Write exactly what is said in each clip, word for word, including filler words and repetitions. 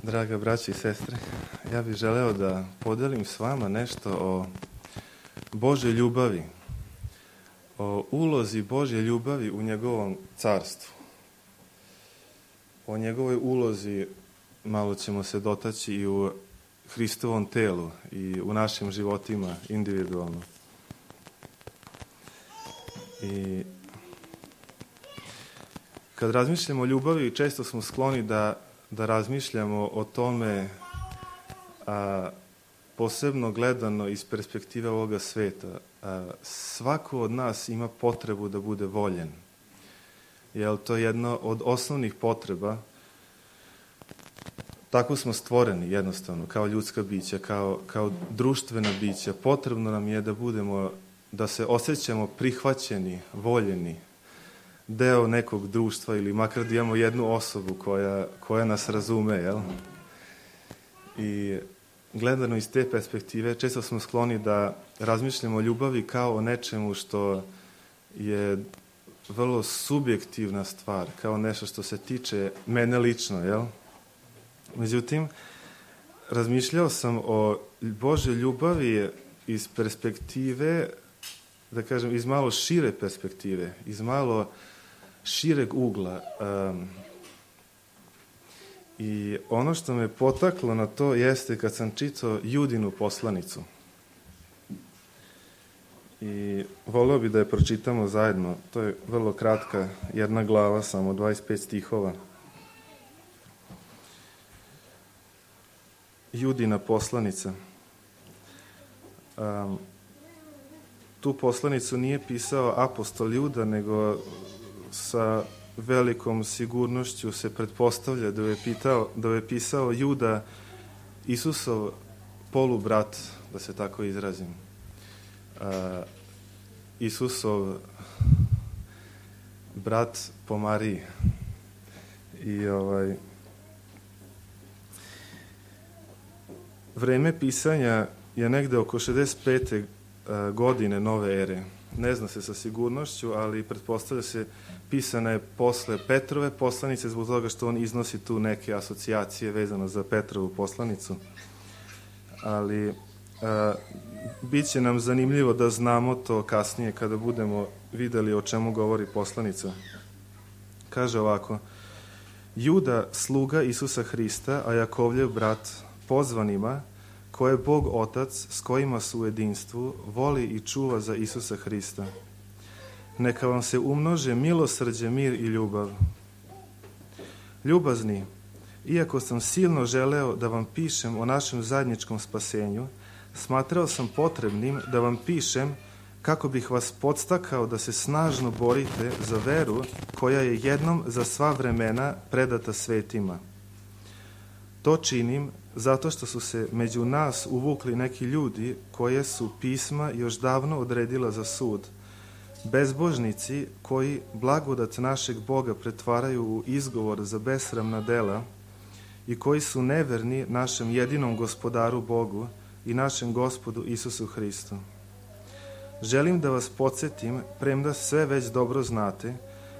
Draga braća i sestre, ja bih želeo da podelim s vama nešto o Božoj ljubavi, o ulozi Božje ljubavi u njegovom carstvu. O njegovoj ulozi malo ćemo se dotaći i u Hristovom telu i u našim životima individualno. I kad razmišljamo o ljubavi, često smo skloni da, da razmišljamo o tome, a, posebno gledano iz perspektive ovoga sveta. A, svako od nas ima potrebu da bude voljen. Jer to je jedna od osnovnih potreba. Tako smo stvoreni jednostavno, kao ljudska bića, kao, kao društvena bića. Potrebno nam je da budemo, da se osjećamo prihvaćeni, voljeni, deo nekog društva ili makar da imamo jednu osobu koja, koja nas razume, jel? I gledano iz te perspektive, često smo skloni da razmišljamo o ljubavi kao o nečemu što je vrlo subjektivna stvar, kao nešto što se tiče mene lično, jel? Međutim, razmišljao sam o Božoj ljubavi iz perspektive, da kažem, iz malo šire perspektive, iz malo šireg ugla. Um, I ono što me potaklo na to jeste kad sam čitao Judinu poslanicu. I voleo bi da je pročitamo zajedno. To je vrlo kratka, jedna glava, samo dvadeset pet stihova. Judina poslanica. Um, tu poslanicu nije pisao apostol Juda, nego sa velikom sigurnošću se pretpostavlja da je, pitao, da je pisao Juda, Isusov polubrat, da se tako izrazim. Uh, Isusov brat po Mariji. I ovaj... Vreme pisanja je negde oko šezdeset pete godine nove ere. Ne zna se sa sigurnošću, ali pretpostavlja se pisana je posle Petrove poslanice, zbog toga što on iznosi tu neke asocijacije vezano za Petrovu poslanicu. Ali a, bit će nam zanimljivo da znamo to kasnije kada budemo videli o čemu govori poslanica. Kaže ovako: Juda, sluga Isusa Hrista, a Jakovljev brat, pozvanima, koje Bog Otac, s kojima su u jedinstvu, voli i čuva za Isusa Hrista. Neka vam se umnože milosrđe, mir i ljubav. Ljubazni, iako sam silno želeo da vam pišem o našem zajedničkom spasenju, smatrao sam potrebnim da vam pišem kako bih vas podstakao da se snažno borite za veru koja je jednom za sva vremena predata svetima. To činim zato što su se među nas uvukli neki ljudi koje su pisma još davno odredila za sud, bezbožnici koji blagodat našeg Boga pretvaraju u izgovor za besramna dela i koji su neverni našem jedinom gospodaru Bogu i našem Gospodu Isusu Hristu. Želim da vas podsjetim, premda sve već dobro znate,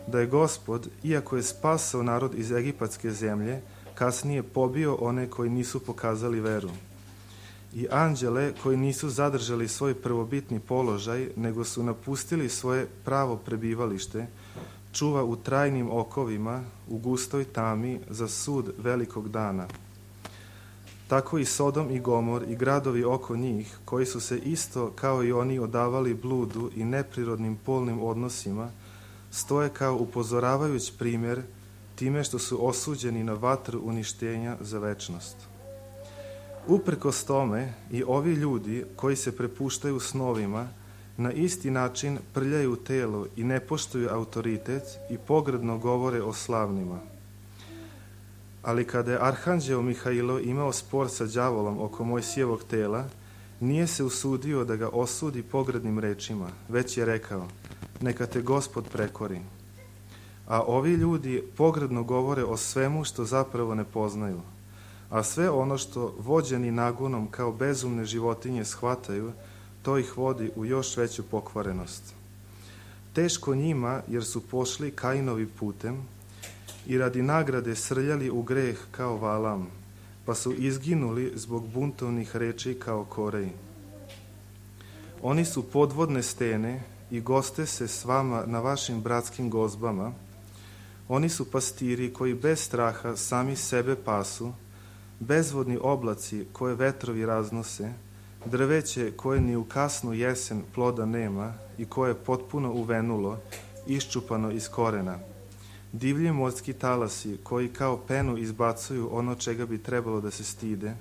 da je Gospod, iako je spasao narod iz egipatske zemlje, kasnije pobio one koji nisu pokazali veru. I anđele koji nisu zadržali svoj prvobitni položaj, nego su napustili svoje pravo prebivalište, čuva u trajnim okovima, u gustoj tami, za sud velikog dana. Tako i Sodom i Gomor i gradovi oko njih, koji su se isto kao i oni odavali bludu i neprirodnim polnim odnosima, stoje kao upozoravajući primjer time što su osuđeni na vatru uništenja za večnost. Uprkos tome i ovi ljudi koji se prepuštaju snovima na isti način prljaju telo i ne poštuju autoritet i pogrdno govore o slavnima. Ali kada je arhanđeo Mihailo imao spor sa đavolom oko Mojsijevog tela, nije se usudio da ga osudi pogrdnim rečima, već je rekao: neka te Gospod prekori. A ovi ljudi pogrdno govore o svemu što zapravo ne poznaju, a sve ono što vođeni nagonom kao bezumne životinje shvataju, to ih vodi u još veću pokvarenost. Teško njima, jer su pošli Kainovim putem i radi nagrade srljali u greh kao Valam, pa su izginuli zbog buntovnih reči kao koreji. Oni su podvodne stene i goste se s vama na vašim bratskim gozbama. Oni su pastiri koji bez straha sami sebe pasu, bezvodni oblaci koje vetrovi raznose, drveće koje ni u kasnu jesen ploda nema i koje je potpuno uvenulo, iščupano iz korena. Divlji morski talasi koji kao penu izbacuju ono čega bi trebalo da se stide,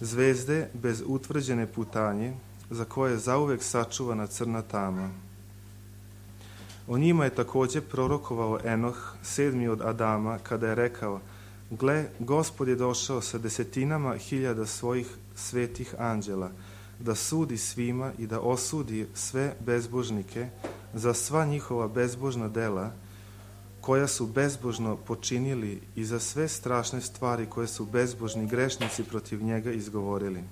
zvezde bez utvrđene putanje, za koje je zauvek sačuvana crna tama. O njima je također prorokovao Enoh, sedmi od Adama, kada je rekao: gle, Gospod je došao sa desetinama hiljada svojih svetih anđela, da sudi svima i da osudi sve bezbožnike za sva njihova bezbožna dela, koja su bezbožno počinili, i za sve strašne stvari koje su bezbožni grešnici protiv njega izgovorili.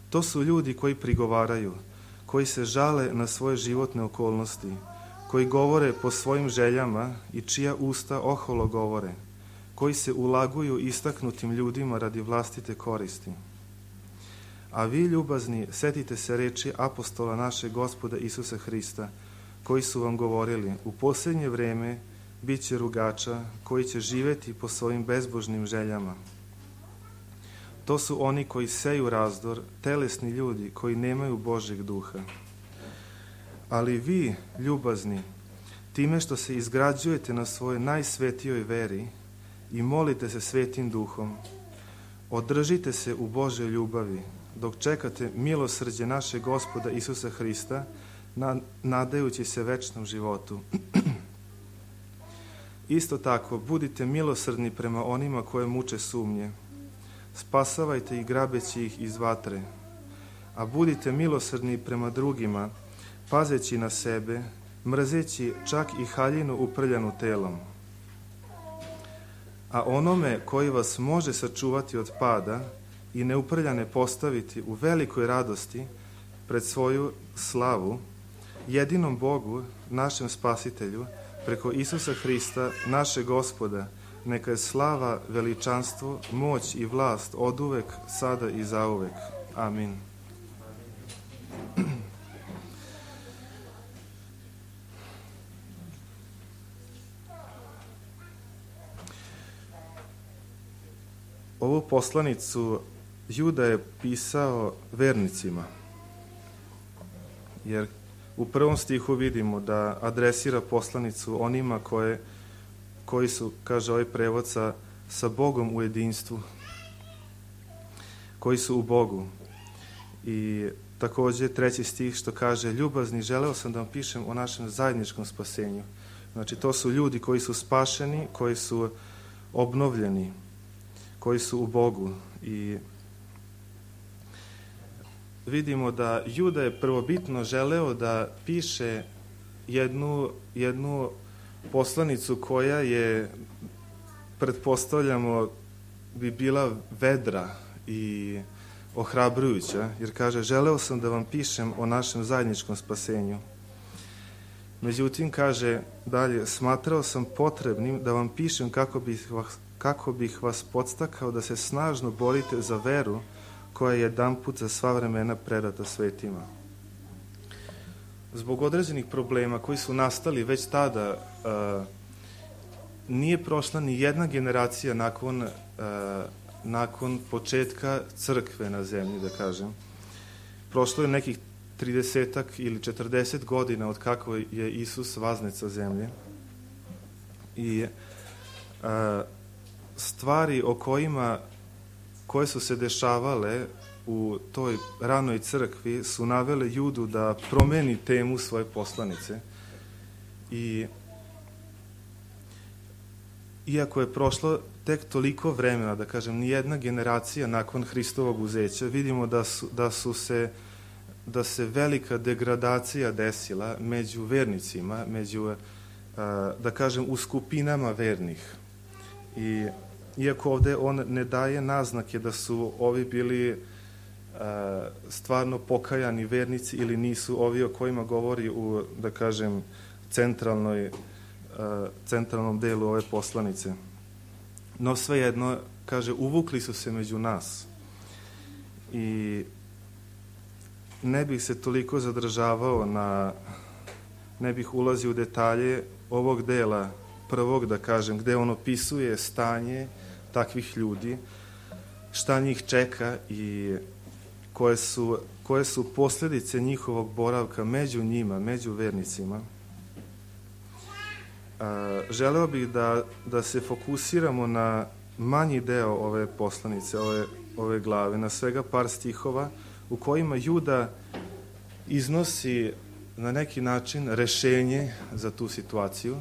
To su ljudi koji prigovaraju, koji se žale na svoje životne okolnosti, koji govore po svojim željama i čija usta oholo govore, koji se ulaguju istaknutim ljudima radi vlastite koristi. A vi, ljubazni, setite se reči apostola našeg Gospoda Isusa Hrista, koji su vam govorili: u posljednje vreme bit će rugača koji će živjeti po svojim bezbožnim željama. To su oni koji seju razdor, telesni ljudi koji nemaju Božjeg duha. Ali vi, ljubazni, time što se izgrađujete na svojoj najsvetijoj veri i molite se svetim duhom, održite se u Božjoj ljubavi, dok čekate milosrđe našeg Gospoda Isusa Hrista, nadajući se večnom životu. Isto tako, budite milosrdni prema onima koje muče sumnje. Spasavajte ih grabeći ih iz vatre. A budite milosrdni prema drugima, pazeći na sebe, mrzeći čak i haljinu uprljanu telom. A onome koji vas može sačuvati od pada i neuprljane postaviti u velikoj radosti pred svoju slavu, jedinom Bogu, našem Spasitelju, preko Isusa Hrista, našeg Gospoda, neka je slava, veličanstvo, moć i vlast oduvek, sada i zauvek. Amin. Ovu poslanicu Juda je pisao vernicima, jer u prvom stihu vidimo da adresira poslanicu onima koje, koji su, kaže ovaj prevod, sa, sa Bogom u jedinstvu, koji su u Bogu. I također treći stih što kaže: ljubazni, želeo sam da vam pišem o našem zajedničkom spasenju. Znači, to su ljudi koji su spašeni, koji su obnovljeni, koji su u Bogu. I vidimo da Juda je prvobitno želeo da piše jednu, jednu poslanicu koja je, pretpostavljamo, bi bila vedra i ohrabrujuća, jer kaže: želeo sam da vam pišem o našem zajedničkom spasenju. Međutim, kaže dalje: smatrao sam potrebnim da vam pišem kako bih vas, kako bih vas podstakao da se snažno borite za veru koja je jedanput za sva vremena predata svetima. Zbog određenih problema koji su nastali već tada, uh, nije prošla ni jedna generacija nakon, uh, nakon početka crkve na zemlji, da kažem. Prošlo je nekih tridesetak ili četrdeset godina od kako je Isus vaznet sa zemlje. I uh, stvari o kojima koje su se dešavale u toj ranoj crkvi su navele Judu da promeni temu svoje poslanice. I iako je prošlo tek toliko vremena, da kažem, nijedna generacija nakon Hristovog uzeća, vidimo da su, da su se da se velika degradacija desila među vernicima, među, da kažem, u skupinama vernih. I iako ovdje on ne daje naznake da su ovi bili uh, stvarno pokajani vernici ili nisu, ovi o kojima govori u, da kažem, centralnoj, uh, centralnom delu ove poslanice. No svejedno, kaže, uvukli su se među nas. I ne bih se toliko zadržavao na, ne bih ulazio u detalje ovog dela prvog, da kažem, gde on opisuje stanje takvih ljudi, šta njih čeka i koje su, koje su posljedice njihovog boravka među njima, među vernicima. A, želeo bih da, da se fokusiramo na manji deo ove poslanice, ove, ove glave, na svega par stihova u kojima Juda iznosi na neki način rešenje za tu situaciju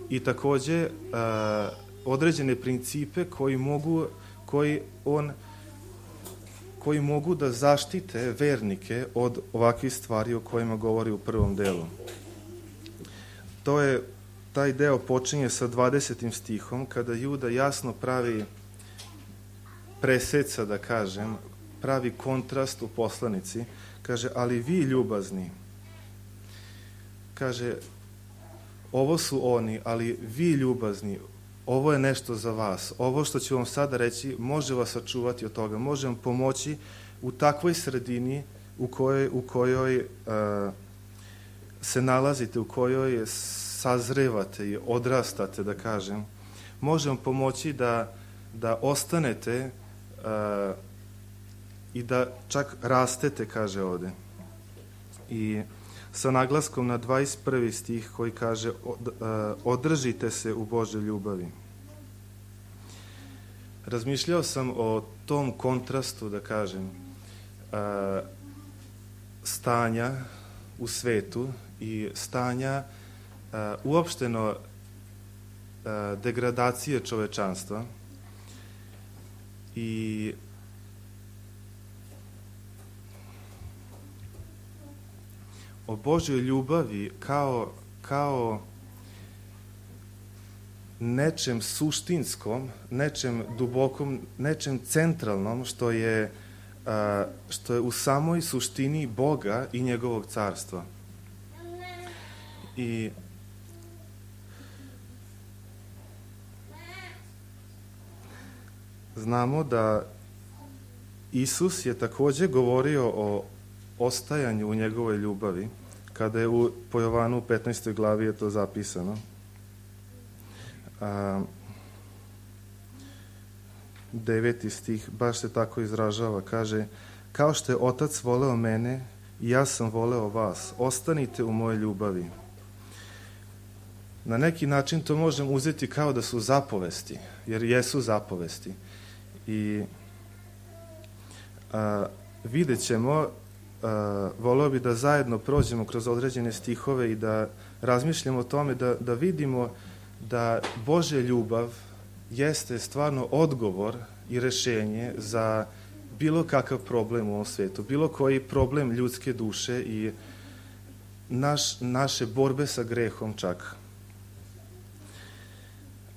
i takođe a, određene principe koji mogu, koji on, koji mogu da zaštite vernike od ovakvih stvari o kojima govori u prvom delu. To je, taj deo počinje sa dvadesetim stihom, kada Juda jasno pravi preseca, da kažem, pravi kontrast u poslanici. Kaže, ali vi ljubazni, kaže, ovo su oni, ali vi ljubazni, ovo je nešto za vas. Ovo što ću vam sada reći može vas sačuvati od toga, može vam pomoći u takvoj sredini u kojoj, u kojoj uh, se nalazite, u kojoj sazrevate i odrastate, da kažem. Može vam pomoći da, da ostanete uh, i da čak rastete, kaže ovde. I sa naglaskom na dvadeset prvi stih koji kaže od, uh, održite se u Božoj ljubavi. Razmišljao sam o tom kontrastu, da kažem, uh, stanja u svetu i stanja uh, uopšteno uh, degradacije čovečanstva i o Božjoj ljubavi kao, kao nečem suštinskom, nečem dubokom, nečem centralnom što je, a, što je u samoj suštini Boga i njegovog carstva. I znamo da Isus je takođe govorio o ostajanju u njegovoj ljubavi, kada je u, po Jovanu u petnaestoj glavi je to zapisano. A, deveti stih baš se tako izražava, kaže, kao što je Otac voleo mene, i ja sam voleo vas, ostanite u mojoj ljubavi. Na neki način to možemo uzeti kao da su zapovesti, jer jesu zapovesti. I a, vidjet ćemo, Uh, voleo bi da zajedno prođemo kroz određene stihove i da razmišljamo o tome, da, da vidimo da Božja ljubav jeste stvarno odgovor i rešenje za bilo kakav problem u ovom svetu, bilo koji problem ljudske duše i naš, naše borbe sa grehom čak.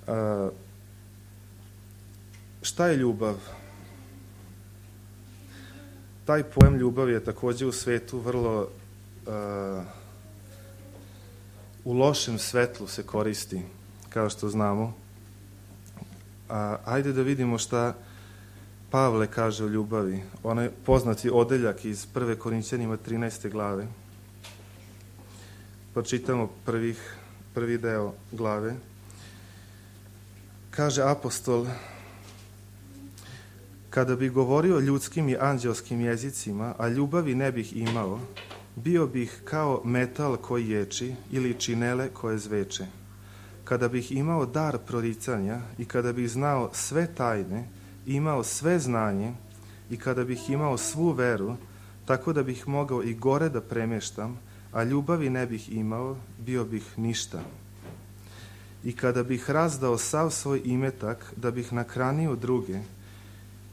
Uh, šta je ljubav? Taj pojem ljubav je takođe u svetu vrlo uh, u lošem svetlu se koristi, kao što znamo. A, ajde da vidimo šta Pavle kaže o ljubavi. Onaj poznati odeljak iz prve Korinćanima trinaeste glave. Pročitamo prvih, prvi deo glave. Kaže apostol, kada bi govorio ljudskim i anđelskim jezicima, a ljubavi ne bih imao, bio bih kao metal koji ječi ili činele koje zveče. Kada bih imao dar proricanja i kada bih znao sve tajne, imao sve znanje i kada bih imao svu veru, tako da bih mogao i gore da premeštam, a ljubavi ne bih imao, bio bih ništa. I kada bih razdao sav svoj imetak da bih nakranio druge,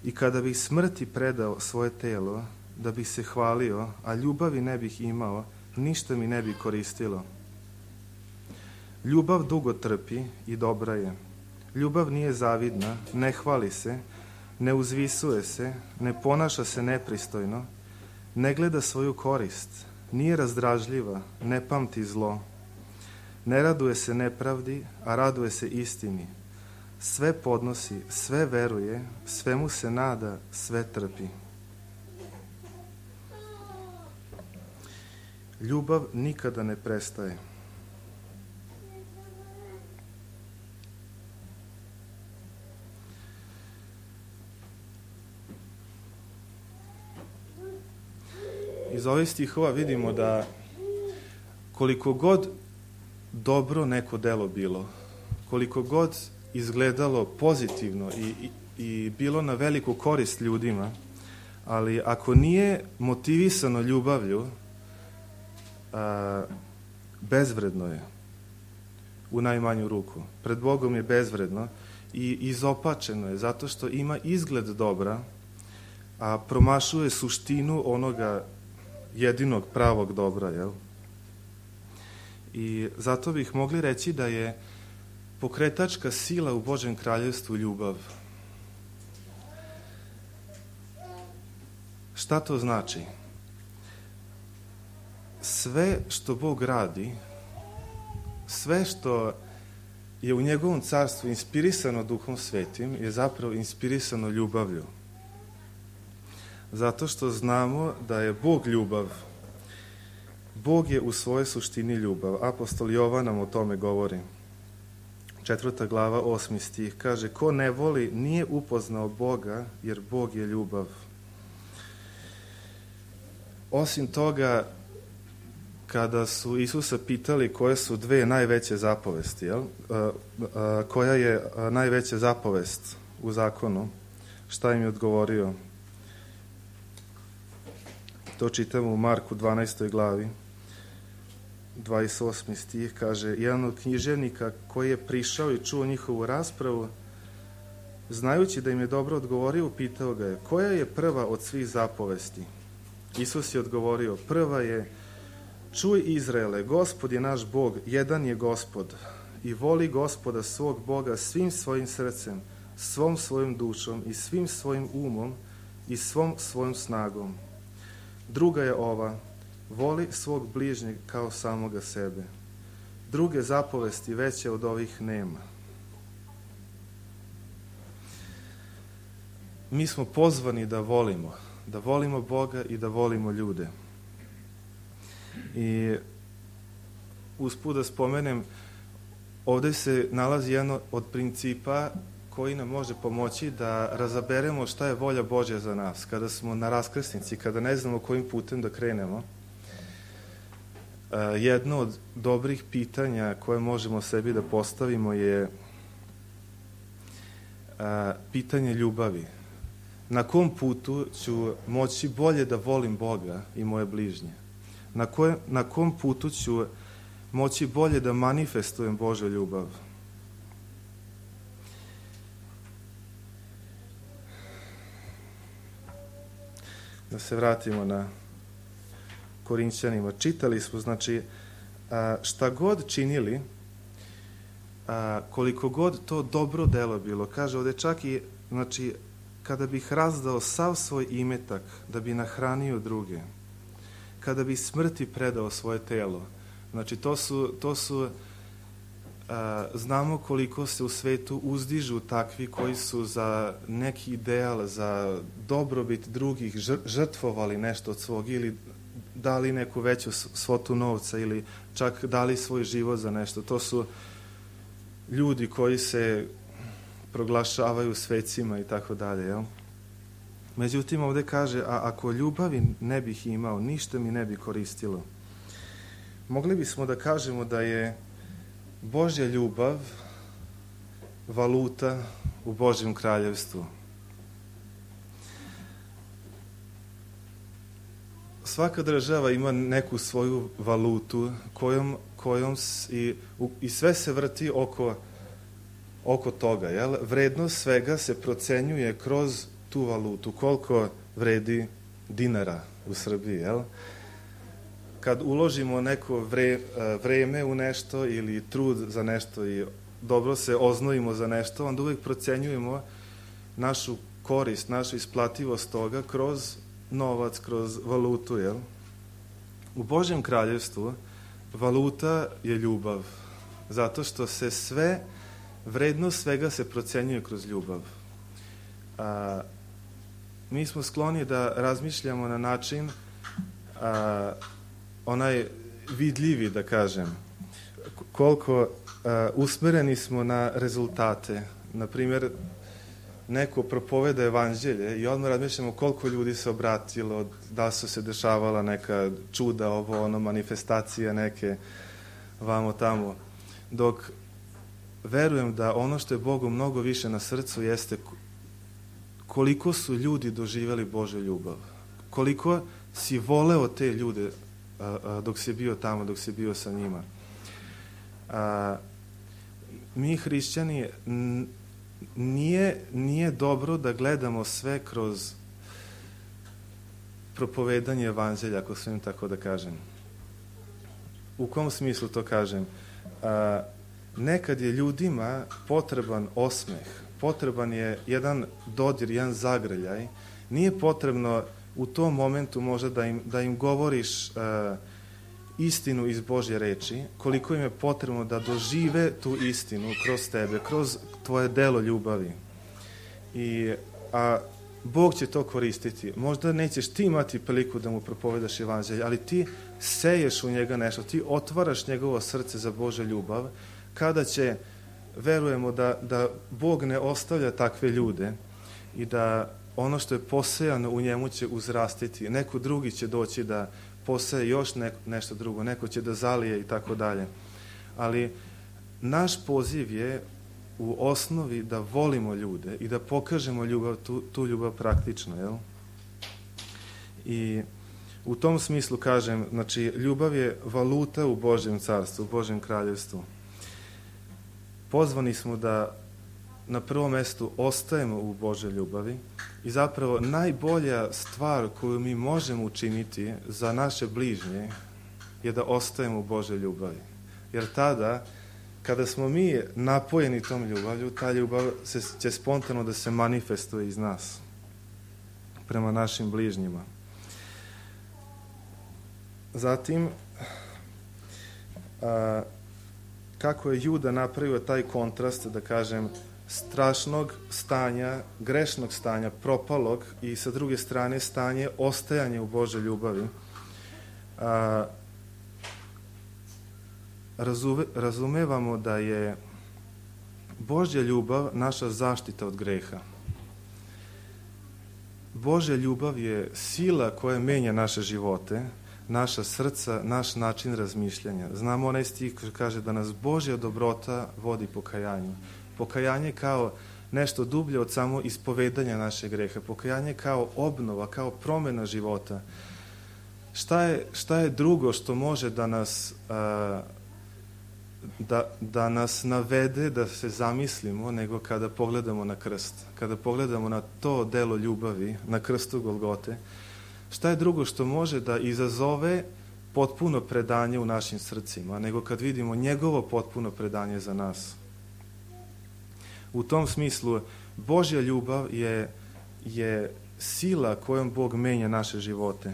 i kada bih smrti predao svoje telo, da bih se hvalio, a ljubavi ne bih imao, ništa mi ne bi koristilo. Ljubav dugo trpi i dobra je. Ljubav nije zavidna, ne hvali se, ne uzvisuje se, ne ponaša se nepristojno, ne gleda svoju korist, nije razdražljiva, ne pamti zlo, ne raduje se nepravdi, a raduje se istini, sve podnosi, sve veruje, svemu se nada, sve trpi. Ljubav nikada ne prestaje. Iz ovih stihova vidimo da koliko god dobro neko delo bilo, koliko god izgledalo pozitivno i, i, i bilo na veliku korist ljudima, ali ako nije motivisano ljubavlju, a, bezvredno je u najmanju ruku. Pred Bogom je bezvredno i izopačeno je zato što ima izgled dobra, a promašuje suštinu onoga jedinog pravog dobra, jel? I zato bih mogli reći da je pokretačka sila u Božjem kraljevstvu ljubav. Šta to znači? Sve što Bog radi, sve što je u njegovom carstvu inspirisano Duhom Svetim je zapravo inspirisano ljubavlju. Zato što znamo da je Bog ljubav. Bog je u svojoj suštini ljubav. Apostol Jovan nam o tome govori. Četvrta glava, osmi stih, kaže: ko ne voli nije upoznao Boga, jer Bog je ljubav. Osim toga, kada su Isusa pitali koje su dve najveće zapovesti, jel? A, a, koja je najveća zapovest u zakonu, šta im je odgovorio? To čitamo u Marku dvanaestoj glavi, dvadeset osmi stih, kaže: jedan od književnika koji je prišao i čuo njihovu raspravu, znajući da im je dobro odgovorio, pitao ga je: koja je prva od svih zapovesti? Isus je odgovorio: prva je: čuj Izraele, Gospod je naš Bog, jedan je Gospod, i voli Gospoda svog Boga svim svojim srcem, svom svojom dušom i svim svojim umom i svom svojom snagom. Druga je ova: voli svog bližnjeg kao samoga sebe. Druge zapovesti veće od ovih nema. Mi smo pozvani da volimo, da volimo Boga i da volimo ljude. I usput da spomenem, ovdje se nalazi jedan od principa koji nam može pomoći da razaberemo šta je volja Božja za nas. Kada smo na raskrsnici, kada ne znamo kojim putem da krenemo, jedno od dobrih pitanja koje možemo sebi da postavimo je pitanje ljubavi. Na kom putu ću moći bolje da volim Boga i moje bližnje? Na, koje, na kom putu ću moći bolje da manifestujem Božju ljubav? Da se vratimo na Korinćanima. Čitali smo, znači, šta god činili, koliko god to dobro delo bilo, kaže ovdje čak i, znači, kada bih razdao sav svoj imetak da bi nahranio druge, kada bi smrti predao svoje telo, znači to su, to su a, znamo koliko se u svetu uzdižu takvi koji su za neki ideal, za dobrobit drugih žrtvovali nešto od svog ili dali neku veću svotu novca ili čak dali svoj život za nešto. To su ljudi koji se proglašavaju svecima i tako dalje, jel? Međutim, ovdje kaže: a ako ljubavi ne bih imao, ništa mi ne bi koristilo. Mogli bismo da kažemo da je Božja ljubav valuta u Božjem kraljevstvu. Svaka država ima neku svoju valutu kojom, kojom i, i sve se vrti oko, oko toga. Jel? Vrednost svega se procenjuje kroz tu valutu, koliko vredi dinara u Srbiji. Jel? Kad uložimo neko vre, vreme u nešto ili trud za nešto i dobro se oznojimo za nešto, onda uvijek procenjujemo našu korist, našu isplativost toga kroz novac, kroz valutu. Jel? U Božjem kraljevstvu valuta je ljubav, zato što se sve vrednost svega se procenjuje kroz ljubav. A, mi smo skloni da razmišljamo na način a, onaj vidljivi, da kažem, koliko a, usmereni smo na rezultate. Na primjer, neko propoveda evanđelje i odmah razmišljamo koliko ljudi se obratilo, da su se dešavala neka čuda, ovo, ono, manifestacije neke, vamo tamo. Dok verujem da ono što je Bogu mnogo više na srcu jeste koliko su ljudi doživjeli Božju ljubav. Koliko si voleo te ljude a, a, dok si bio tamo, dok si bio sa njima. A, mi hrišćani n, nije, nije dobro da gledamo sve kroz propovedanje evanđelja, ako smijem tako da kažem. U kom smislu to kažem? A, nekad je ljudima potreban osmeh, potreban je jedan dodir, jedan zagrljaj. Nije potrebno u tom momentu možda da im, da im govoriš uh, istinu iz Božje reči, koliko im je potrebno da dožive tu istinu kroz tebe, kroz tvoje delo ljubavi. I, a Bog će to koristiti. Možda nećeš ti imati priliku da mu propovedaš evanđelje, ali ti seješ u njega nešto, ti otvaraš njegovo srce za Božju ljubav, kada će, verujemo da, da Bog ne ostavlja takve ljude i da ono što je posejano u njemu će uzrastiti. Neko drugi će doći da poseje još ne, nešto drugo, neko će da zalije i tako dalje. Ali naš poziv je u osnovi da volimo ljude i da pokažemo ljubav, tu, tu ljubav praktično, jel? I u tom smislu kažem, znači, ljubav je valuta u Božjem carstvu, u Božjem kraljevstvu. Pozvani smo da na prvom mjestu ostajemo u Božoj ljubavi i zapravo najbolja stvar koju mi možemo učiniti za naše bližnje je da ostajemo u Božoj ljubavi. Jer tada, kada smo mi napojeni tom ljubavlju, ta ljubav se, će spontano da se manifestuje iz nas prema našim bližnjima. Zatim, a, kako je Juda napravio taj kontrast, da kažem, strašnog stanja, grešnog stanja, propalog i sa druge strane stanje ostajanja u Božoj ljubavi. A, razume, razumevamo da je Božja ljubav naša zaštita od greha. Božja ljubav je sila koja menja naše živote, naša srca, naš način razmišljanja. Znamo onaj stih koji kaže da nas Božja dobrota vodi pokajanju. Pokajanje kao nešto dublje od samo ispovedanja našeg greha. Pokajanje kao obnova, kao promjena života. Šta je, šta je drugo što može da nas, a, da, da nas navede, da se zamislimo, nego kada pogledamo na krst. Kada pogledamo na to delo ljubavi, na krstu Golgote, šta je drugo što može da izazove potpuno predanje u našim srcima, nego kad vidimo njegovo potpuno predanje za nas. U tom smislu, Božja ljubav je, je sila kojom Bog menja naše živote.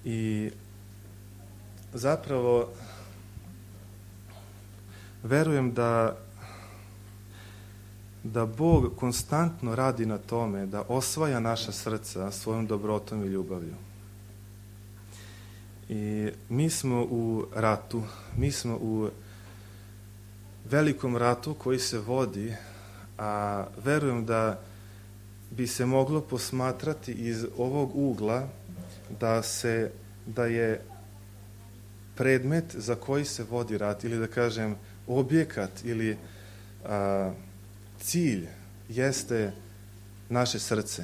I zapravo verujem da da Bog konstantno radi na tome da osvaja naša srca svojom dobrotom i ljubavlju. I mi smo u ratu, mi smo u velikom ratu koji se vodi, a verujem da bi se moglo posmatrati iz ovog ugla da se, da je predmet za koji se vodi rat, ili da kažem objekat ili a, cilj jeste naše srce.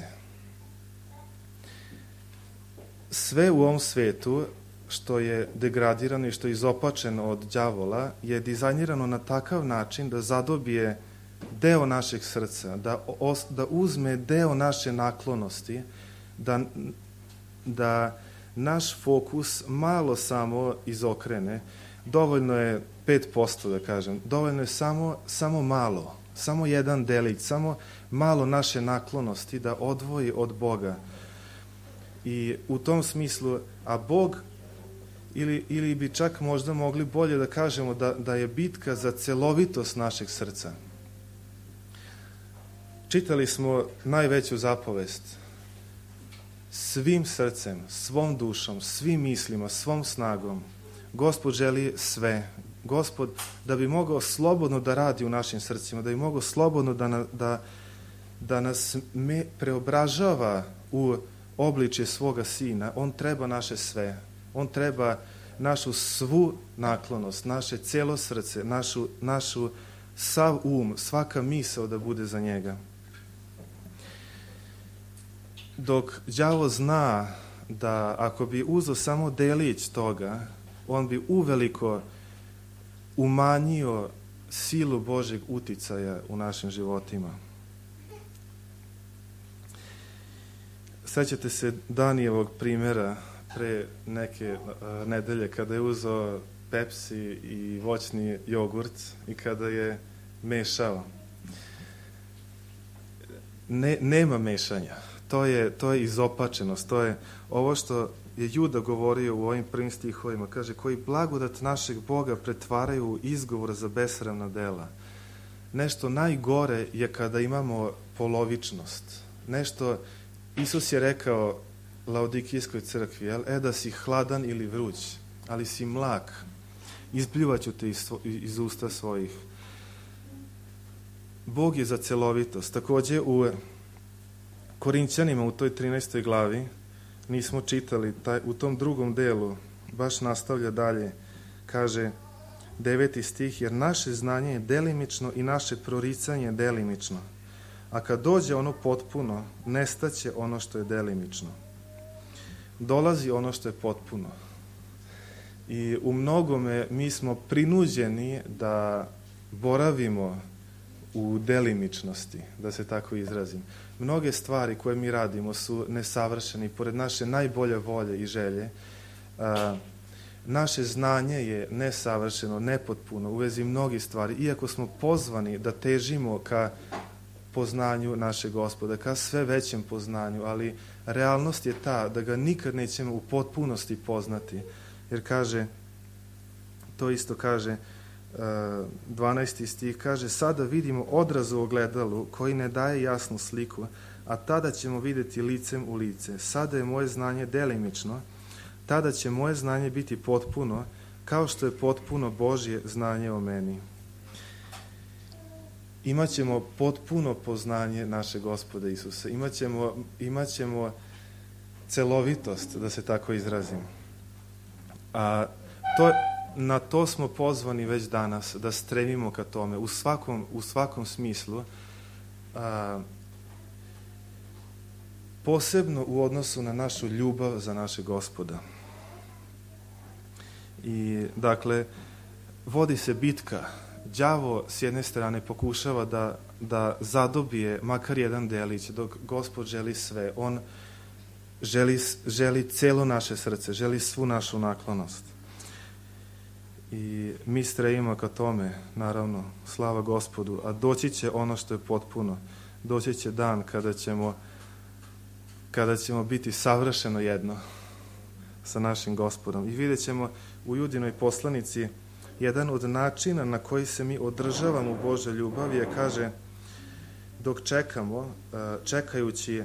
Sve u ovom svetu što je degradirano i što je izopačeno od đavola je dizajnirano na takav način da zadobije deo našeg srca, da, os, da uzme deo naše naklonosti, da, da naš fokus malo samo izokrene. Dovoljno je pet posto, da kažem, dovoljno je samo, samo malo, samo jedan delić, samo malo naše naklonosti da odvoji od Boga. I u tom smislu, a Bog ili, ili bi čak možda mogli bolje da kažemo da, da je bitka za celovitost našeg srca. Čitali smo najveću zapovest. Svim srcem, svom dušom, svim mislima, svom snagom. Gospod želi sve. Gospod, da bi mogao slobodno da radi u našim srcima, da bi mogao slobodno da, na, da, da nas me preobražava u obličje svoga Sina, on treba naše sve. On treba našu svu naklonost, naše cijelo srce, našu, našu sav um, svaka misao da bude za njega. Dok đavo zna da ako bi uzeo samo delić toga, on bi uveliko umanjio silu Božeg uticaja u našim životima. Sećate se Danijevog primjera pre neke uh, nedelje kada je uzeo Pepsi i voćni jogurt i kada je mešao. Ne, nema mešanja. To je, to je izopačenost. To je ovo što je Juda govorio u ovim prvim stihovima. Kaže, koji blagodat našeg Boga pretvaraju u izgovor za besramna dela. Nešto najgore je kada imamo polovičnost. Nešto, Isus je rekao Laodikijskoj crkvi, jel? E da si hladan ili vruć, ali si mlak, izpljuvaću te iz, svo, iz usta svojih. Bog je za celovitost. Takođe u Korinćanima u toj trinaestoj glavi nismo čitali, taj, u tom drugom delu baš nastavlja dalje, kaže deveti stih, jer naše znanje je delimično i naše proricanje je delimično, a kad dođe ono potpuno, nestaće ono što je delimično. Dolazi ono što je potpuno. I u mnogome mi smo prinuđeni da boravimo u delimičnosti, da se tako izrazim. Mnoge stvari koje mi radimo su nesavršene, pored naše najbolje volje i želje. A, naše znanje je nesavršeno, nepotpuno u vezi mnogih stvari, iako smo pozvani da težimo ka poznanju našeg Gospoda, ka sve većem poznanju, ali realnost je ta da ga nikad nećemo u potpunosti poznati, jer kaže, to isto kaže, dvanaesti stih, kaže, sada vidimo odraz u ogledalu koji ne daje jasnu sliku, a tada ćemo vidjeti licem u lice. Sada je moje znanje delimično, tada će moje znanje biti potpuno, kao što je potpuno Božje znanje o meni. Imaćemo potpuno poznanje našeg Gospoda Isusa. Imaćemo, imaćemo celovitost, da se tako izrazim. A to, na to smo pozvani već danas, da stremimo ka tome, u svakom, u svakom smislu, a, posebno u odnosu na našu ljubav za našeg Gospoda. I, dakle, vodi se bitka. Đavo s jedne strane pokušava da, da zadobije makar jedan delić, dok Gospod želi sve. On želi, želi celo naše srce, želi svu našu naklonost. I mi stremimo ka tome, naravno, slava Gospodu, a doći će ono što je potpuno. Doći će dan kada ćemo, kada ćemo biti savršeno jedno sa našim Gospodom. I vidjet ćemo u Judinoj poslanici jedan od načina na koji se mi održavamo u Božoj ljubavi je, kaže, dok čekamo, čekajući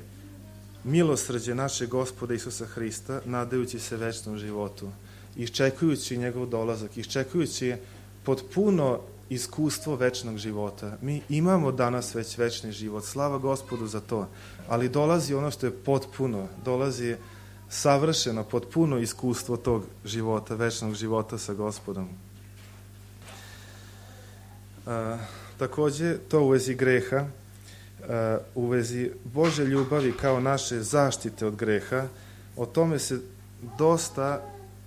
milosrđe našeg Gospoda Isusa Hrista, nadajući se večnom životu, iščekujući njegov dolazak, iščekujući potpuno iskustvo večnog života. Mi imamo danas već večni život, slava Gospodu za to, ali dolazi ono što je potpuno, dolazi savršeno, potpuno iskustvo tog života, večnog života sa Gospodom. A, takođe, to u vezi greha, a, u vezi Bože ljubavi kao naše zaštite od greha, o tome se dosta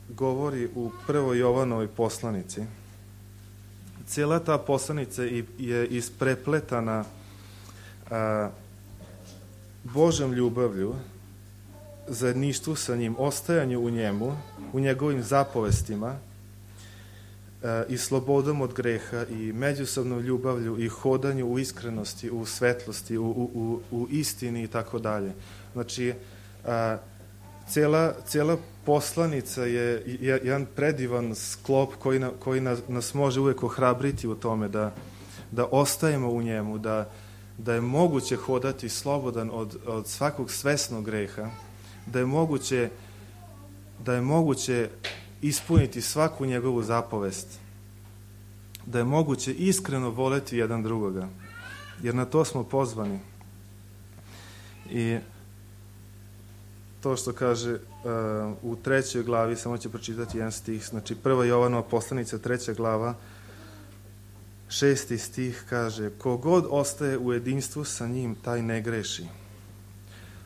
govori u prvoj Jovanovoj poslanici. Cijela ta poslanica je isprepletana a, Božom ljubavlju, zajedništvu sa njim, ostajanju u njemu, u njegovim zapovestima a, i slobodom od greha i međusobnom ljubavlju i hodanju u iskrenosti, u svetlosti, u, u, u istini i tako dalje. Znači, a, Cijela, cijela poslanica je jedan predivan sklop koji, na, koji nas, nas može uvijek ohrabriti u tome da, da ostajemo u njemu, da, da je moguće hodati slobodan od, od svakog svesnog greha, da je moguće, da je moguće ispuniti svaku njegovu zapovest, da je moguće iskreno voleti jedan drugoga, jer na to smo pozvani. I to što kaže uh, u trećoj glavi, samo ću pročitati jedan stih, znači prva Jovanova poslanica, treća glava, šesti stih kaže: ko god ostaje u jedinstvu sa njim, taj ne greši.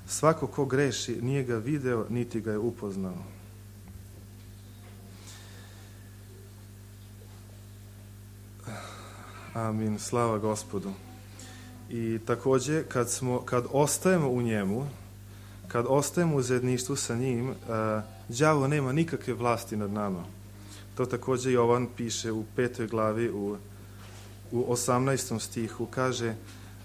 Svako ko greši nije ga video, niti ga je upoznao. Amin, slava Gospodu. I također kad, smo, kad ostajemo u njemu, kad ostajemo u zajedništvu sa njim, uh, đavo nema nikakve vlasti nad nama. To također Jovan piše u petoj glavi, u, u osamnaestom stihu, kaže: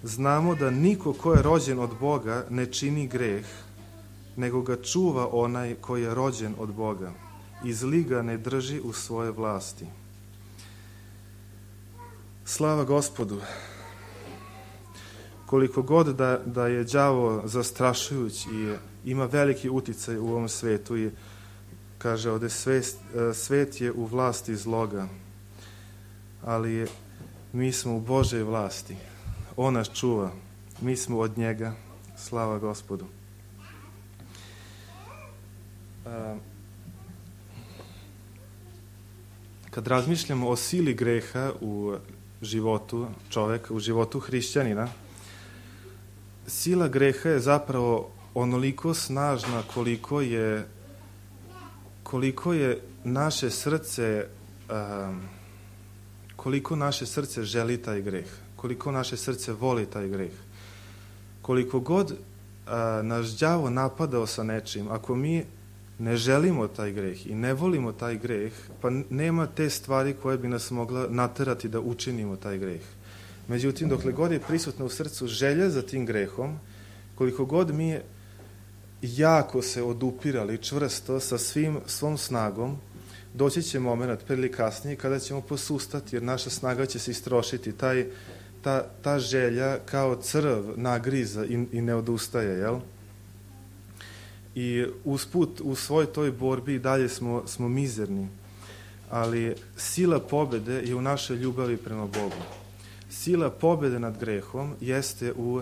znamo da niko ko je rođen od Boga ne čini greh, nego ga čuva onaj koji je rođen od Boga i zli ga ne drži u svoje vlasti. Slava Gospodu. Koliko god da, da je đavo zastrašujuć i ima veliki uticaj u ovom svetu i kaže ovdje svet, svet je u vlasti zloga, ali mi smo u Božoj vlasti. On nas čuva. Mi smo od njega. Slava Gospodu. Kad razmišljamo o sili greha u životu čovjeka, u životu hrišćanina, sila greha je zapravo onoliko snažna koliko je koliko je naše srce um, koliko naše srce želi taj greh, koliko naše srce voli taj greh. Koliko god a, naš đavo napadao sa nečim, ako mi ne želimo taj greh i ne volimo taj greh, pa nema te stvari koje bi nas mogla naterati da učinimo taj greh. Međutim, dokle god je prisutna u srcu želja za tim grehom, koliko god mi jako se odupirali čvrsto sa svim, svom snagom, doći će moment prije ili kasnije kada ćemo posustati, jer naša snaga će se istrošiti. Taj, ta, ta želja kao crv nagriza i, i ne odustaje, jel? I usput u svoj toj borbi i dalje smo, smo mizerni, ali sila pobjede je u našoj ljubavi prema Bogu. Sila pobjede nad grehom jeste u,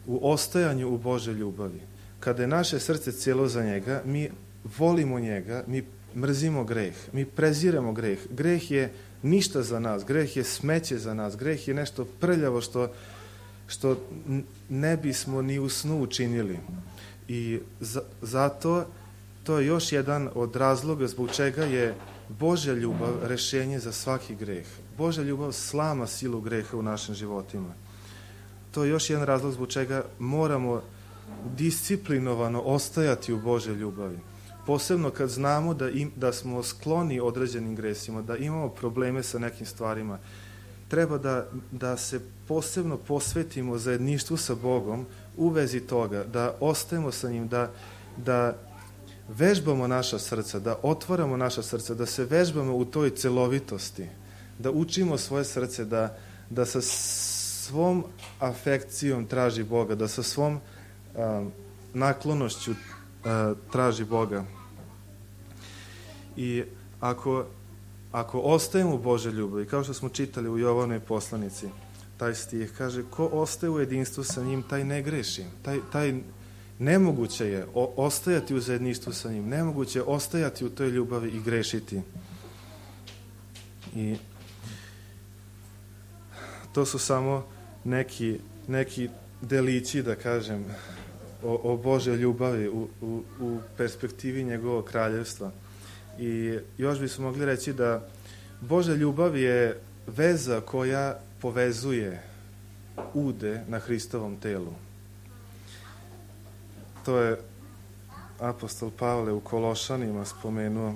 u ostajanju u Božoj ljubavi. Kada je naše srce cijelo za njega, mi volimo njega, mi mrzimo greh, mi preziremo greh. Greh je ništa za nas, greh je smeće za nas, greh je nešto prljavo što, što ne bismo ni u snu učinili. I za, zato to je još jedan od razloga zbog čega je Božja ljubav rješenje za svaki greh. Božja ljubav slama silu greha u našim životima. To je još jedan razlog zbog čega moramo disciplinovano ostajati u Božjoj ljubavi. Posebno kad znamo da, im, da smo skloni određenim gresima, da imamo probleme sa nekim stvarima. Treba da, da se posebno posvetimo zajedništvu sa Bogom u vezi toga, da ostajemo sa njim, da, da vežbamo naša srca, da otvaramo naša srca, da se vežbamo u toj celovitosti, da učimo svoje srce, da, da sa svom afekcijom traži Boga, da sa svom um, naklonošću uh, traži Boga. I ako, ako ostajemo u Božoj ljubavi, kao što smo čitali u Jovanovoj poslanici, taj stih kaže: ko ostaje u jedinstvu sa njim, taj ne greši. Taj, taj nemoguće je o, ostajati u zajedništvu sa njim, nemoguće je ostajati u toj ljubavi i grešiti. I to su samo neki, neki delići, da kažem, o, o Božoj ljubavi u, u, u perspektivi njegovog kraljevstva. I još bismo mogli reći da Božja ljubav je veza koja povezuje ude na Hristovom telu. To je apostol Pavle u Kološanima spomenuo,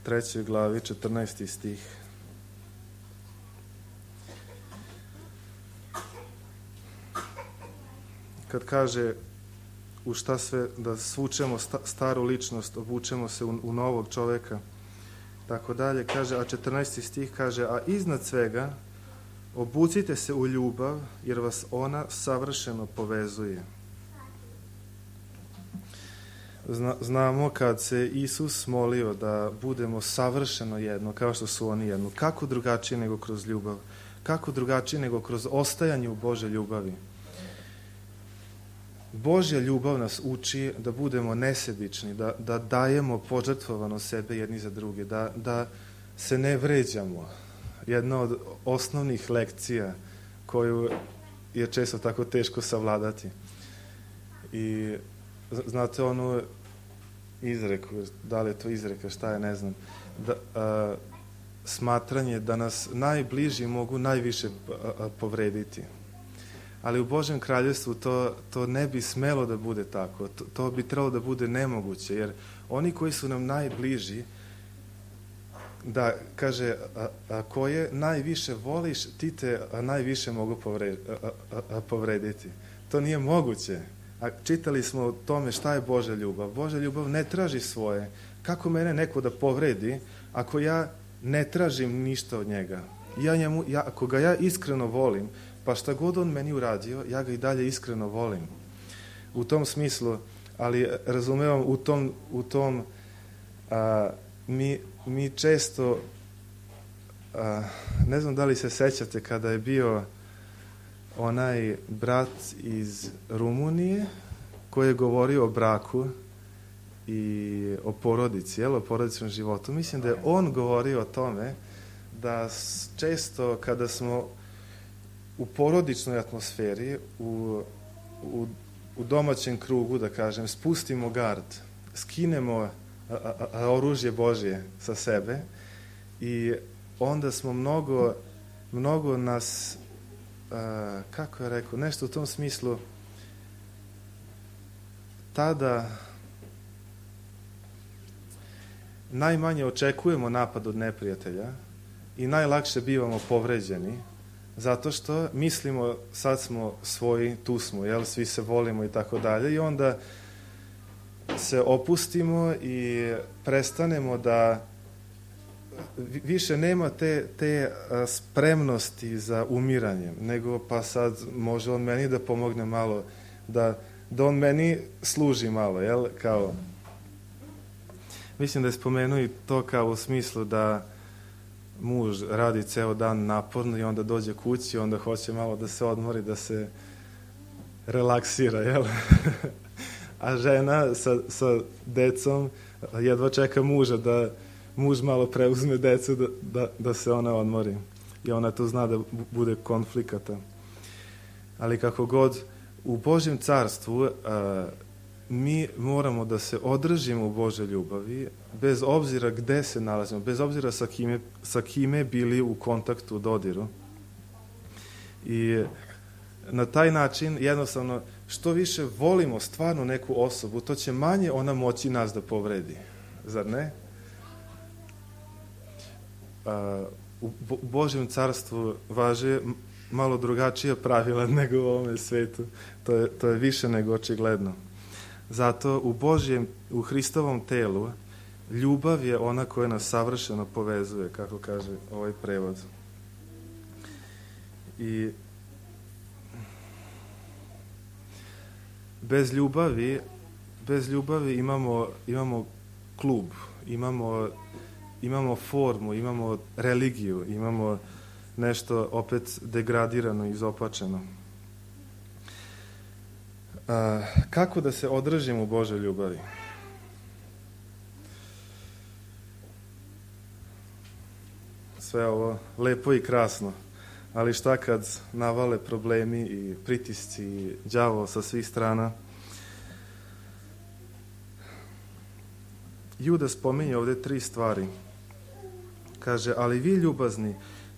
trećoj glavi, četrnaesti stih. Kad kaže: u šta sve, da svučemo sta, staru ličnost, obučemo se u, u novog čoveka, tako dalje. Kaže, a četrnaesti stih kaže, a iznad svega obucite se u ljubav, jer vas ona savršeno povezuje. Zna, znamo kad se Isus molio da budemo savršeno jedno, kao što su oni jedno. Kako drugačije nego kroz ljubav? Kako drugačije nego kroz ostajanje u Božoj ljubavi? Božja ljubav nas uči da budemo nesebični, da, da dajemo požrtvovano sebe jedni za druge, da, da se ne vređamo. Jedna od osnovnih lekcija koju je često tako teško savladati. I znate onu izreku, da li je to izreka, šta je, ne znam, da, a, smatranje da nas najbliži mogu najviše a, a, povrediti. Ali u Božjem kraljevstvu to, to ne bi smelo da bude tako. To, to bi trebalo da bude nemoguće, jer oni koji su nam najbliži, da, kaže, a, a koje najviše voliš, ti te a, najviše mogu povre, a, a, a, povrediti. To nije moguće. A čitali smo o tome šta je Božja ljubav. Božja ljubav ne traži svoje. Kako mene neko da povredi ako ja ne tražim ništa od njega? Ja njemu, ja, ako ga ja iskreno volim, pa šta god on meni uradio, ja ga i dalje iskreno volim. U tom smislu, ali razumevam, u tom, u tom a, mi, mi često, a, ne znam da li se sećate kada je bio onaj brat iz Rumunije koji je govorio o braku i o porodici, jel, o porodičnom životu. Mislim da je on govorio o tome da često kada smo u porodičnoj atmosferi, u, u, u domaćem krugu, da kažem, spustimo gard, skinemo a, a, a, oružje Božje sa sebe i onda smo mnogo, mnogo nas, a, kako je rekao, nešto u tom smislu, tada najmanje očekujemo napad od neprijatelja i najlakše bivamo povređeni, zato što mislimo sad smo svoji, tu smo, jel, svi se volimo i tako dalje, i onda se opustimo i prestanemo da više nema te, te spremnosti za umiranjem, nego pa sad može on meni da pomogne malo, da, da on meni služi malo, jel, kao. Mislim da je spomenuo i to kao u smislu da muž radi ceo dan naporno i onda dođe kući i onda hoće malo da se odmori, da se relaksira, jel? A žena sa, sa decom jedva čeka muža da muž malo preuzme decu da, da, da se ona odmori. I ona tu zna da bude konflikata. Ali kako god, u Božjem carstvu a, mi moramo da se održimo u Božoj ljubavi, bez obzira gde se nalazimo, bez obzira sa kime, sa kime bili u kontaktu, u dodiru. I na taj način, jednostavno, što više volimo stvarno neku osobu, to će manje ona moći nas da povredi. Zar ne? A, u Bo- Božjem carstvu važe malo drugačija pravila nego u ovome svetu. To je, to je više nego očigledno. Zato u Božjem, u Hristovom telu, ljubav je ona koja nas savršeno povezuje, kako kaže ovaj prevod. I bez ljubavi, bez ljubavi imamo, imamo klub, imamo, imamo formu, imamo religiju, imamo nešto opet degradirano i izopačeno. A, kako da se održimo u Božoj ljubavi? Sve ovo lepo i krasno, ali šta kad navale problemi i pritisci i đavo sa svih strana? Juda spominje ovde tri stvari. Kaže, ali vi ljubazni,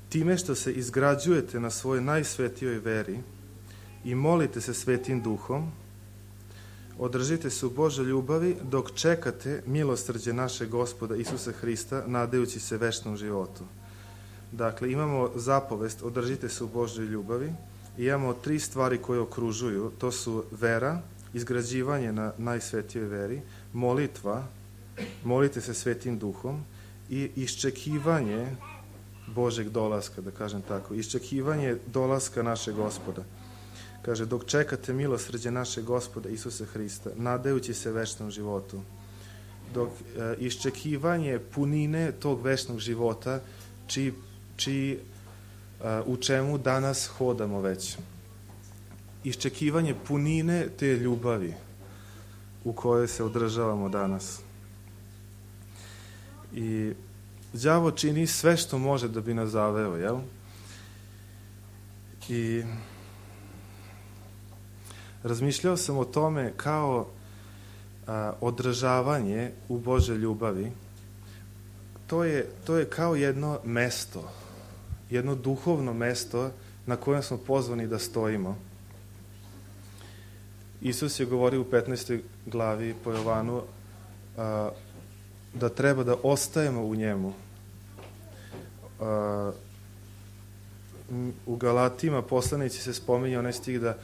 time što se izgrađujete na svojoj najsvetijoj veri i molite se Svetim Duhom, održite se u Božoj ljubavi dok čekate milosrđe našeg Gospoda Isusa Hrista, nadajući se večnom životu. Dakle, imamo zapovest, održite se u Božoj ljubavi, i imamo tri stvari koje okružuju. To su vera, izgrađivanje na najsvetijoj veri, molitva, molite se Svetim Duhom i iščekivanje Božeg dolaska, da kažem tako, iščekivanje dolaska našeg Gospoda. Kaže, dok čekate milosrđe našeg Gospoda Isusa Hrista, nadajući se večnom životu, dok e, iščekivanje punine tog večnog života, čiji, čiji e, u čemu danas hodamo već. Iščekivanje punine te ljubavi u kojoj se održavamo danas. I đavo čini sve što može da bi nas zaveo, jel? I razmišljao sam o tome kao a, održavanje u Božoj ljubavi. To je, to je kao jedno mesto, jedno duhovno mesto na kojem smo pozvani da stojimo. Isus je govorio u petnaestoj glavi po Jovanu a, da treba da ostajemo u njemu. A, u Galatima poslanici se spominje onaj stih da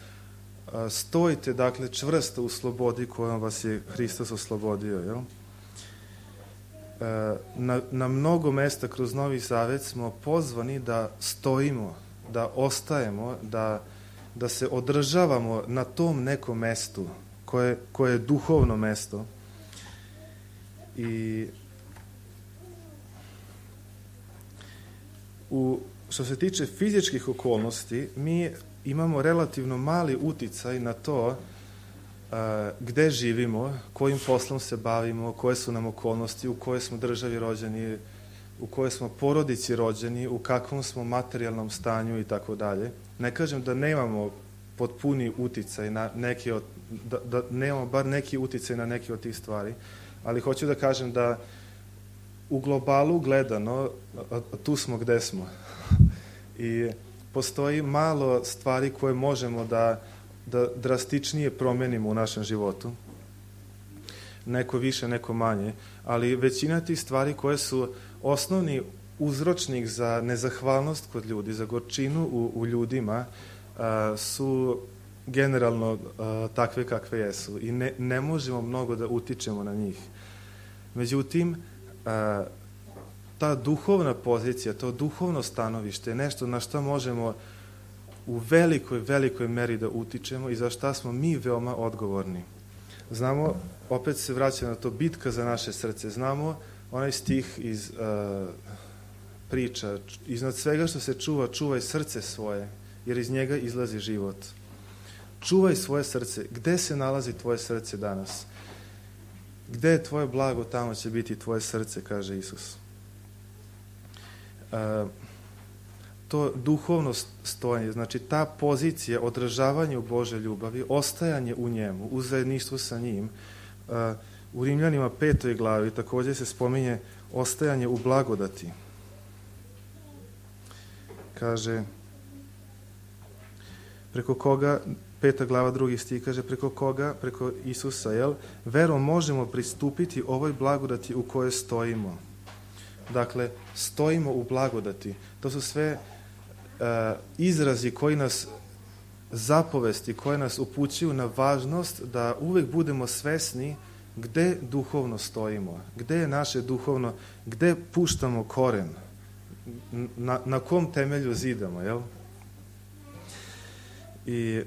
a, stojite, dakle, čvrsto u slobodi kojom vas je Hristos oslobodio. Jel? A, na, na mnogo mesta kroz Novi Zavet smo pozvani da stojimo, da ostajemo, da, da se održavamo na tom nekom mestu koje, koje je duhovno mesto. I u, što se tiče fizičkih okolnosti, mi imamo relativno mali uticaj na to a, gde živimo, kojim poslom se bavimo, koje su nam okolnosti, u kojoj smo državi rođeni, u kojoj smo porodici rođeni, u kakvom smo materijalnom stanju i tako dalje. Ne kažem da nemamo potpuni uticaj na neke od, da, da nemamo bar neki uticaj na neke od tih stvari, ali hoću da kažem da u globalu gledano, a, a tu smo gde smo. I postoji malo stvari koje možemo da, da drastičnije promenimo u našem životu. Neko više, neko manje, ali većina tih stvari koje su osnovni uzročnik za nezahvalnost kod ljudi, za gorčinu u, u ljudima, a, su generalno a, takve kakve jesu i ne, ne možemo mnogo da utičemo na njih. Međutim, a, ta duhovna pozicija, to duhovno stanovište je nešto na što možemo u velikoj, velikoj meri da utičemo i za šta smo mi veoma odgovorni. Znamo, opet se vraća na to, bitka za naše srce. Znamo onaj stih iz uh, priča, iznad svega što se čuva, čuvaj srce svoje, jer iz njega izlazi život. Čuvaj svoje srce. Gde se nalazi tvoje srce danas? Gde je tvoje blago, tamo će biti tvoje srce, kaže Isus. Uh, to duhovno stojanje, znači ta pozicija održavanja u Božoj ljubavi, ostajanje u njemu, u zajedništvu sa njim. Uh, u Rimljanima petoj glavi također se spominje ostajanje u blagodati. Kaže, preko koga, peta glava drugi stih, kaže, preko koga, preko Isusa, jel, verom možemo pristupiti ovoj blagodati u kojoj stojimo. Dakle, stojimo u blagodati. To su sve uh, izrazi koji nas zapovesti, koje nas upućuju na važnost da uvek budemo svesni gde duhovno stojimo, gde je naše duhovno, gde puštamo koren, na, na kom temelju zidamo, jel? I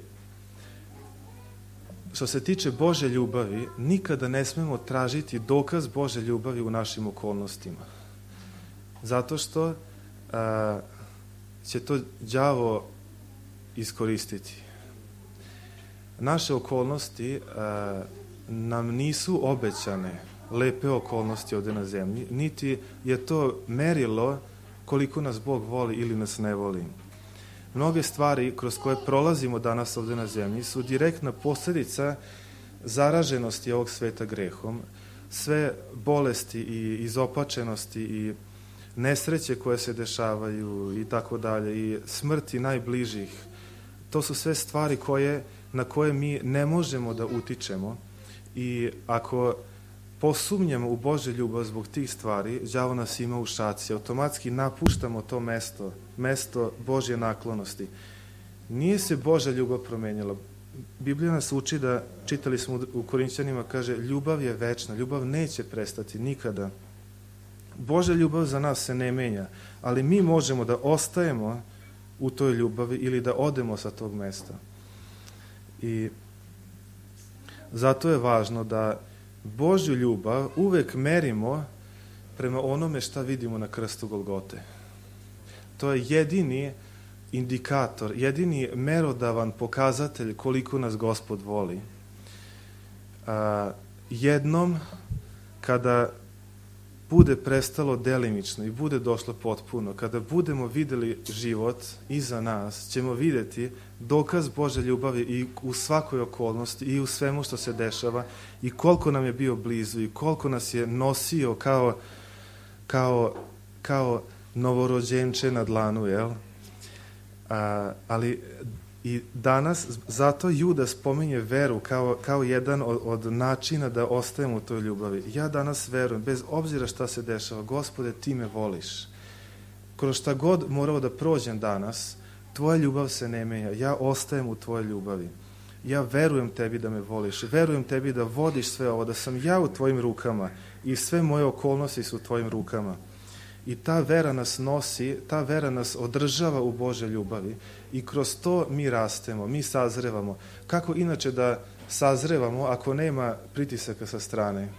što se tiče Božje ljubavi, nikada ne smemo tražiti dokaz Božje ljubavi u našim okolnostima. Zato što a, će to đavo iskoristiti. Naše okolnosti a, nam nisu obećane lepe okolnosti ovde na zemlji, niti je to merilo koliko nas Bog voli ili nas ne voli. Mnoge stvari kroz koje prolazimo danas ovde na zemlji su direktna posljedica zaraženosti ovog sveta grehom. Sve bolesti i izopačenosti i nesreće koje se dešavaju i tako dalje i smrti najbližih, to su sve stvari koje, na koje mi ne možemo da utičemo i ako posumnjamo u Božju ljubav zbog tih stvari, đavo nas ima u šaci, automatski napuštamo to mesto, mesto Božje naklonosti. Nije se Božja ljubav promenjala. Biblija nas uči da, čitali smo u Korinćanima, kaže, ljubav je večna, ljubav neće prestati nikada. Božja ljubav za nas se ne menja, ali mi možemo da ostajemo u toj ljubavi ili da odemo sa tog mesta. I zato je važno da Božju ljubav uvek merimo prema onome šta vidimo na krstu Golgote. To je jedini indikator, jedini merodavan pokazatelj koliko nas Gospod voli. A, jednom kada bude prestalo delimično i bude došlo potpuno, kada budemo videli život iza nas, ćemo vidjeti dokaz Božje ljubavi i u svakoj okolnosti i u svemu što se dešava i koliko nam je bio blizu i koliko nas je nosio kao, kao, kao novorođenče na dlanu, jel? A, ali i danas, zato Juda spominje veru kao, kao jedan od, od načina da ostajemo u toj ljubavi. Ja danas verujem, bez obzira šta se dešava, Gospode, ti me voliš. Kroz šta god morao da prođem danas, tvoja ljubav se ne menja. Ja ostajem u tvojoj ljubavi. Ja verujem tebi da me voliš. Verujem tebi da vodiš sve ovo, da sam ja u tvojim rukama i sve moje okolnosti su u tvojim rukama. I ta vera nas nosi, ta vera nas održava u Božoj ljubavi i kroz to mi rastemo, mi sazrevamo. Kako inače da sazrevamo ako nema pritisaka sa strane?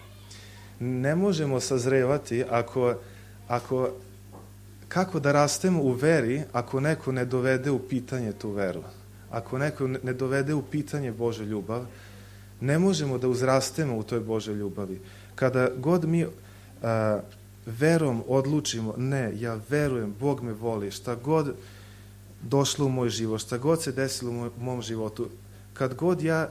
Ne možemo sazrevati ako, ako, kako da rastemo u veri ako neko ne dovede u pitanje tu veru? Ako neko ne dovede u pitanje Božju ljubav, ne možemo da uzrastemo u toj Božoj ljubavi. Kada god mi a, verom odlučimo, ne, ja verujem, Bog me voli, šta god došlo u moj život, šta god se desilo u moj, mom životu, kad god ja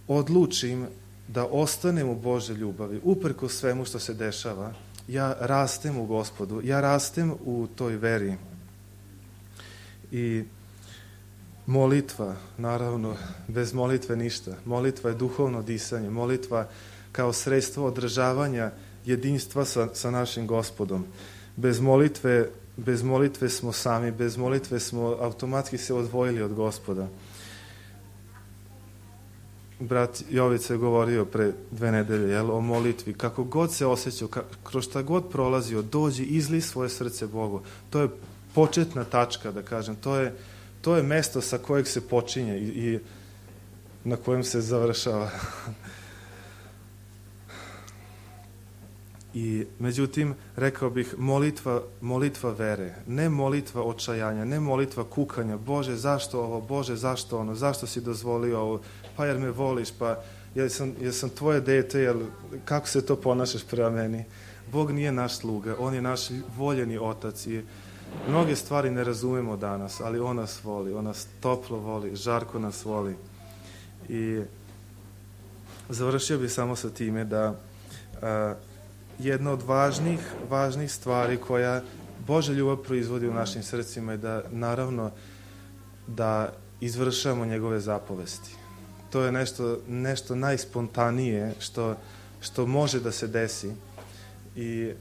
odlučim da ostanem u Božoj ljubavi, uprkos svemu što se dešava, ja rastem u Gospodu, ja rastem u toj veri. I molitva, naravno, bez molitve ništa. Molitva je duhovno disanje, molitva kao sredstvo održavanja jedinstva sa, sa našim Gospodom. Bez molitve, bez molitve smo sami, bez molitve smo automatski se odvojili od Gospoda. Brat Jovica je govorio pre dve nedelje, jel, o molitvi. Kako god se osjećao, ka, kroz šta god prolazio, dođi, izli svoje srce Bogu. To je početna tačka, da kažem. To je, to je mesto sa kojeg se počinje i, i na kojem se završava. I međutim, rekao bih, molitva, molitva vere, ne molitva očajanja, ne molitva kukanja, Bože, zašto ovo, Bože, zašto ono, zašto si dozvolio ovo, pa jer me voliš, pa jer sam, jer sam tvoje dete, jer kako se to ponašaš prema meni? Bog nije naš sluga, on je naš voljeni otac i mnoge stvari ne razumemo danas, ali on nas voli, on nas toplo voli, žarko nas voli. I završio bih samo sa time da a, jedna od važnih, važnih stvari koja Božja ljubav proizvodi u našim srcima je da, naravno, da izvršamo njegove zapovesti. To je nešto, nešto najspontanije što, što može da se desi. I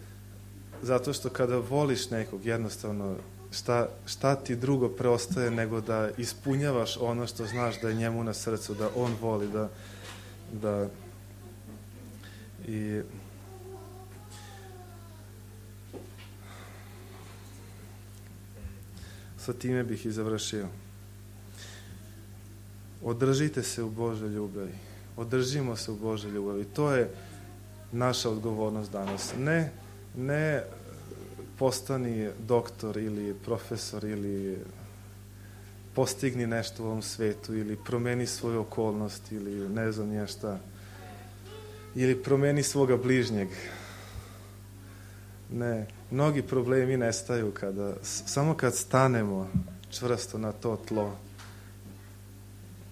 zato što kada voliš nekog, jednostavno, šta, šta ti drugo preostaje nego da ispunjavaš ono što znaš da je njemu na srcu, da on voli, da... da i sa time bih i završio. Održite se u Božoj ljubavi. Održimo se u Božoj ljubavi. To je naša odgovornost danas. Ne, ne postani doktor ili profesor ili postigni nešto u ovom svetu ili promeni svoju okolnost ili ne znam nije šta. Ili promeni svoga bližnjeg. Ne, mnogi problemi nestaju kada, samo kad stanemo čvrsto na to tlo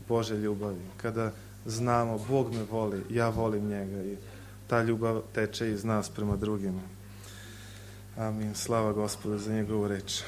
Božje ljubavi, kada znamo Bog me voli, ja volim njega i ta ljubav teče iz nas prema drugima. Amin. Slava Gospodu za njegovu reč.